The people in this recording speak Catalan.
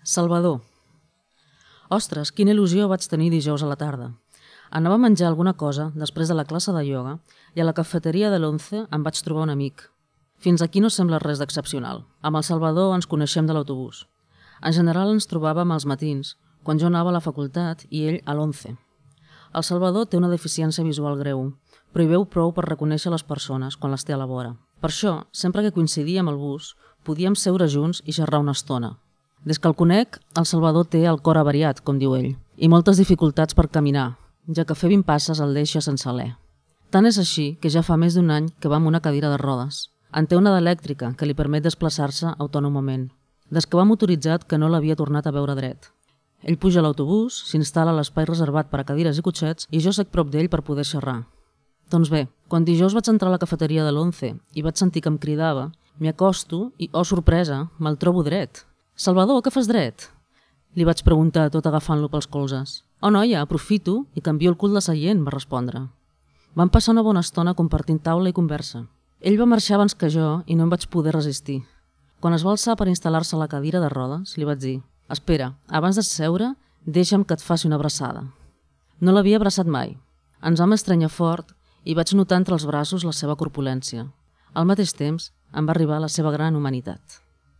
Salvador. Ostres, quina il·lusió vaig tenir dijous a la tarda. Anava a menjar alguna cosa després de la classe de ioga i a la cafeteria de l'11 em vaig trobar un amic. Fins aquí no sembla res d'excepcional. Amb el Salvador ens coneixem de l'autobús. En general ens trobàvem als matins, quan jo anava a la facultat i ell a l'11. El Salvador té una deficiència visual greu, però hi veu prou per reconèixer les persones quan les té a la vora. Per això, sempre que coincidíem al bus, podíem seure junts i xerrar una estona. Des que el conec, el Salvador té el cor avariat, com diu ell, i moltes dificultats per caminar, ja que fer 20 passes el deixa sense alè. Tant és així que ja fa més d'un any que va amb una cadira de rodes. En té una d'elèctrica que li permet desplaçar-se autònomament. Des que va motoritzat que no l'havia tornat a veure dret. Ell puja a l'autobús, s'instal·la a l'espai reservat per a cadires i cotxets i jo sec prop d'ell per poder xerrar. Doncs bé, quan dijous vaig entrar a la cafeteria de l'11 i vaig sentir que em cridava, m'hi acosto i, oh sorpresa, me'l trobo dret. «Salvador, què fas dret?» Li vaig preguntar tot agafant-lo pels colzes. «Oh noia, aprofito i canvio el cul de seient», va respondre. Vam passar una bona estona compartint taula i conversa. Ell va marxar abans que jo i no em vaig poder resistir. Quan es va alçar per instal·lar-se a la cadira de rodes, li vaig dir «Espera, abans de seure, deixa'm que et faci una abraçada». No l'havia abraçat mai. Ens vam estrènyer fort i vaig notar entre els braços la seva corpulència. Al mateix temps, em va arribar la seva gran humanitat.